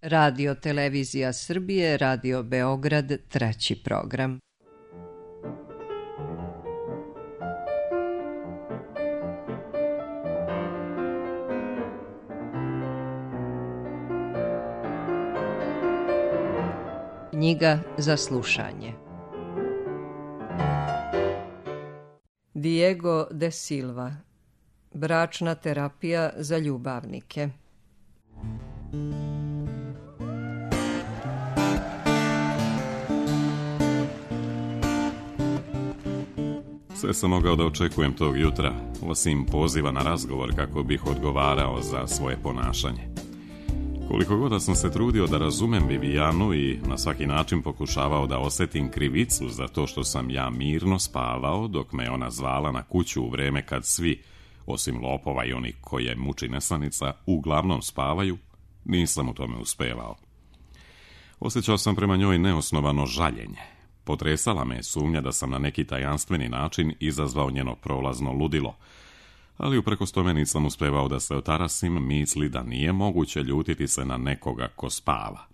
Radio Televizija Srbije, Radio Beograd, treći program. Knjiga za slušanje. Diego de Silva. Bračna terapija za ljubavnike. Sve sam mogao da očekujem tog jutra, osim poziva na razgovor kako bih odgovarao za svoje ponašanje. Koliko god sam se trudio da razumem Vivijanu i na svaki način pokušavao da osetim krivicu za to što sam ja mirno spavao dok me ona zvala na kuću u vreme kad svi, osim lopova i onih koje muči nesanica, uglavnom spavaju, nisam u tome uspevao. Osjećao sam prema njoj neosnovano žaljenje. Potresala me sumnja da sam na neki tajanstveni način izazvao njeno prolazno ludilo, ali uprkos tome nisam uspevao da se otarasim misli da nije moguće ljutiti se na nekoga ko spava.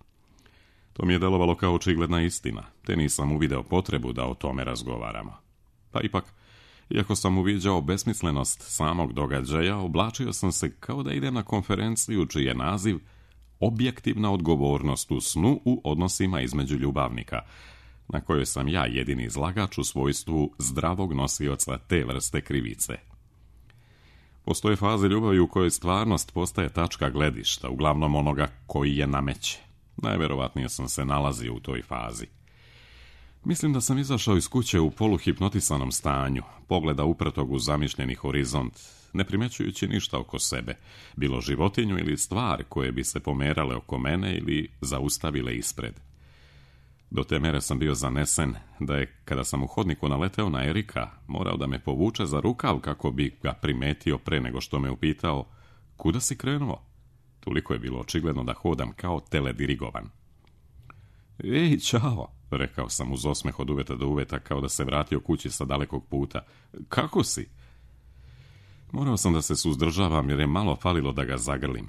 To mi je delovalo kao očigledna istina, te nisam uvideo potrebu da o tome razgovaramo. Pa ipak, iako sam uviđao besmislenost samog događaja, oblačio sam se kao da idem na konferenciju čiji je naziv Objektivna odgovornost u snu u odnosima između ljubavnika, na kojoj sam ja jedini izlagač u svojstvu zdravog nosioca te vrste krivice. Postoje faze ljubavi u kojoj stvarnost postaje tačka gledišta, uglavnom onoga koji je nameće. Najverovatnije sam se nalazio u toj fazi. Mislim da sam izašao iz kuće u poluhipnotisanom stanju, pogleda uprtog u zamišljeni horizont, ne primećujući ništa oko sebe, bilo životinju ili stvar koje bi se pomerale oko mene ili zaustavile ispred. Do te mere sam bio zanesen da je, kada sam u hodniku naleteo na Erika, morao da me povuče za rukav kako bi ga primetio pre nego što me upitao kuda si krenuo. Toliko je bilo očigledno da hodam kao teledirigovan. Ej, čao, rekao sam uz osmeh od uveta do uveta kao da se vratio kući sa dalekog puta. Kako si? Morao sam da se suzdržavam jer je malo falilo da ga zagrlim.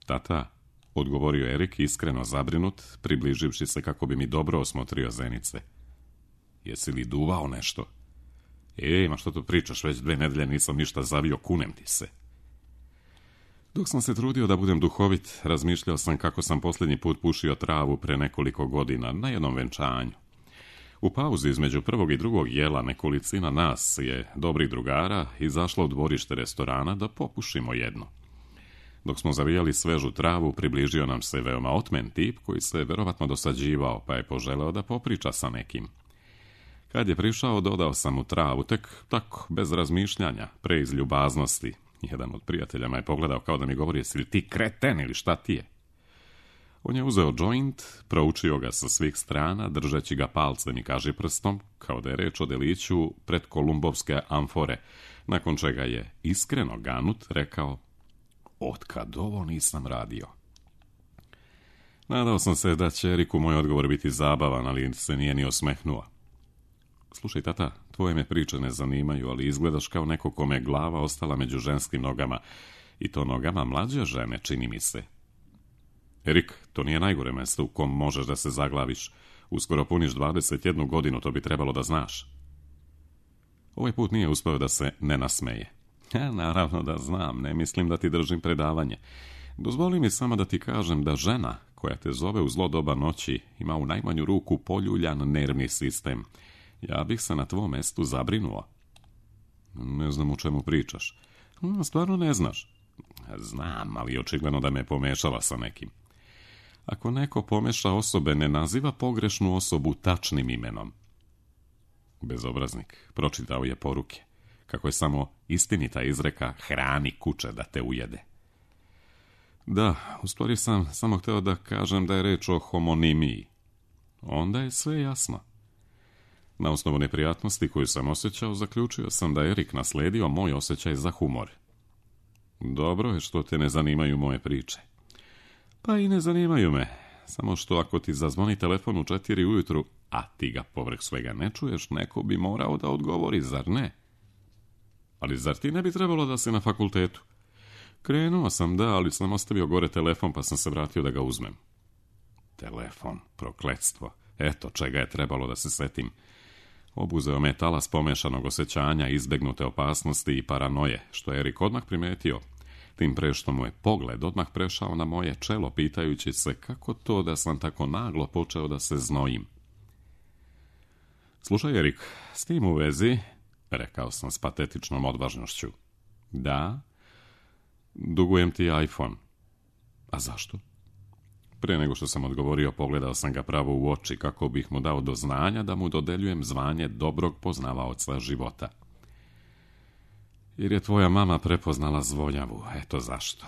Tata, odgovorio Erik iskreno zabrinut, približivši se kako bi mi dobro osmotrio zenice. Jesi li duvao nešto? Ma što tu pričaš, već 2 nedelje nisam ništa zavio, kunem ti se. Dok sam se trudio da budem duhovit, razmišljao sam kako sam posljednji put pušio travu pre nekoliko godina na jednom venčanju. U pauzi između prvog i drugog jela nekolicina nas je, dobrih drugara, izašla u dvorište restorana da popušimo jedno. Dok smo zavijali svežu travu, približio nam se veoma otmen tip koji se verovatno dosađivao, pa je poželeo da popriča sa nekim. Kad je prišao, dodao sam mu travu, tek tako, bez razmišljanja, pre iz ljubaznosti. Jedan od prijatelja me je pogledao kao da mi govori, jesi li ti kreten ili šta ti je? On je uzeo joint, proučio ga sa svih strana, držeći ga palcem i kažiprstom, kao da je reč o deliću pred kolumbovske amfore, nakon čega je iskreno ganut rekao, otkad ovo nisam radio. Nadao sam se da će Eriku moj odgovor biti zabavan, ali se nije ni osmehnuo. Slušaj, tata, tvoje me priče ne zanimaju, ali izgledaš kao neko kome je glava ostala među ženskim nogama, i to nogama mlađe žene, čini mi se. Erik, to nije najgore mesto u kom možeš da se zaglaviš. Uskoro puniš 21 godinu, to bi trebalo da znaš. Ovaj put nije uspeo da se ne nasmeje. Naravno da znam, ne mislim da ti držim predavanje. Dozvoli mi samo da ti kažem da žena koja te zove u zlo doba noći ima u najmanju ruku poljuljan nervni sistem. Ja bih se na tvom mestu zabrinuo. Ne znam o čemu pričaš. Stvarno ne znaš? Znam, ali očigledno da me pomešala sa nekim. Ako neko pomeša osobe, ne naziva pogrešnu osobu tačnim imenom. Bezobraznik, pročitao je poruke. Kako je samo istinita izreka hrani kuće da te ujede. Da, u stvari sam samo hteo da kažem da je reč o homonimiji. Onda je sve jasno. Na osnovu neprijatnosti koju sam osjećao, zaključio sam da je Erik nasledio moj osjećaj za humor. Dobro je što te ne zanimaju moje priče. Pa i ne zanimaju me, samo što ako ti zazvoni telefon u 4 ujutru, a ti ga povrh svega ne čuješ, neko bi morao da odgovori, zar ne? Ali zar ti ne bi trebalo da si na fakultetu? Krenuo sam, da, ali sam ostavio gore telefon pa sam se vratio da ga uzmem. Telefon, prokletstvo. Eto čega je trebalo da se setim. Obuzeo me talas pomešanog osjećanja, izbegnute opasnosti i paranoje, što je Erik odmah primetio. Tim pre što mu je pogled odmah prešao na moje čelo, pitajući se kako to da sam tako naglo počeo da se znojim. Slušaj, Erik, s tim u vezi, rekao sam s patetičnom odvažnošću. Da, dugujem ti iPhone. A zašto? Prije nego što sam odgovorio, pogledao sam ga pravo u oči kako bih mu dao do znanja da mu dodeljujem zvanje dobrog poznavaoca života. Jer je tvoja mama prepoznala zvonjavu, eto zašto.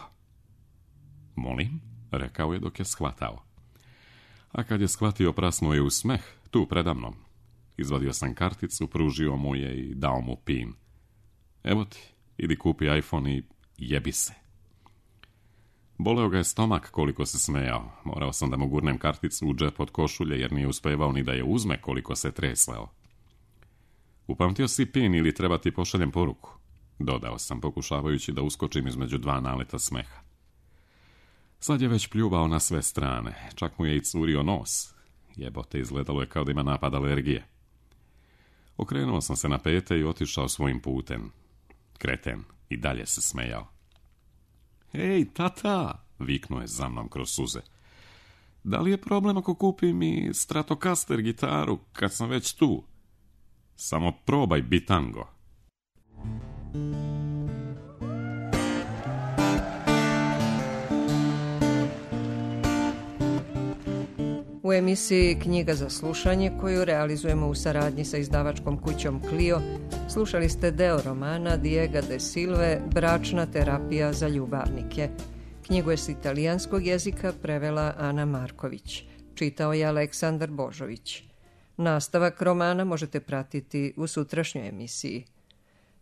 Molim, rekao je dok je shvatao. A kad je shvatio, prasnuo je u smeh, tu predamnom. Izvadio sam karticu, pružio mu je i dao mu pin. Evo ti, idi kupi iPhone i jebi se. Boleo ga je stomak koliko se smejao. Morao sam da mu gurnem karticu u džep od košulje jer nije uspevao ni da je uzme koliko se tresleo. Upamtio si pin ili treba ti pošaljem poruku? Dodao sam pokušavajući da uskočim između dva naleta smeha. Sad je već pljuvao na sve strane. Čak mu je i curio nos. Jebote, izgledalo je kao da ima napad alergije. Okrenuo sam se na pete i otišao svojim putem. Kreten i dalje se smejao. Ej, tata, viknuo je za mnom kroz suze. Da li je problem ako kupim i Stratocaster gitaru kad sam već tu? Samo probaj bitango. U emisiji Knjiga za slušanje, koju realizujemo u saradnji sa izdavačkom kućom Clio, slušali ste deo romana Diega de Silve Bračna terapija za ljubavnike. Knjigu je s italijanskog jezika prevela Ana Marković. Čitao je Aleksandar Božović. Nastavak romana možete pratiti u sutrašnjoj emisiji.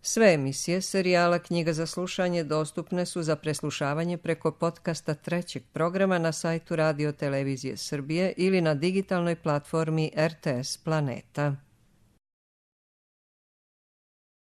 Sve emisije serijala Knjiga za slušanje dostupne su za preslušavanje preko podcasta trećeg programa na sajtu Radio Televizije Srbije ili na digitalnoj platformi RTS Planeta.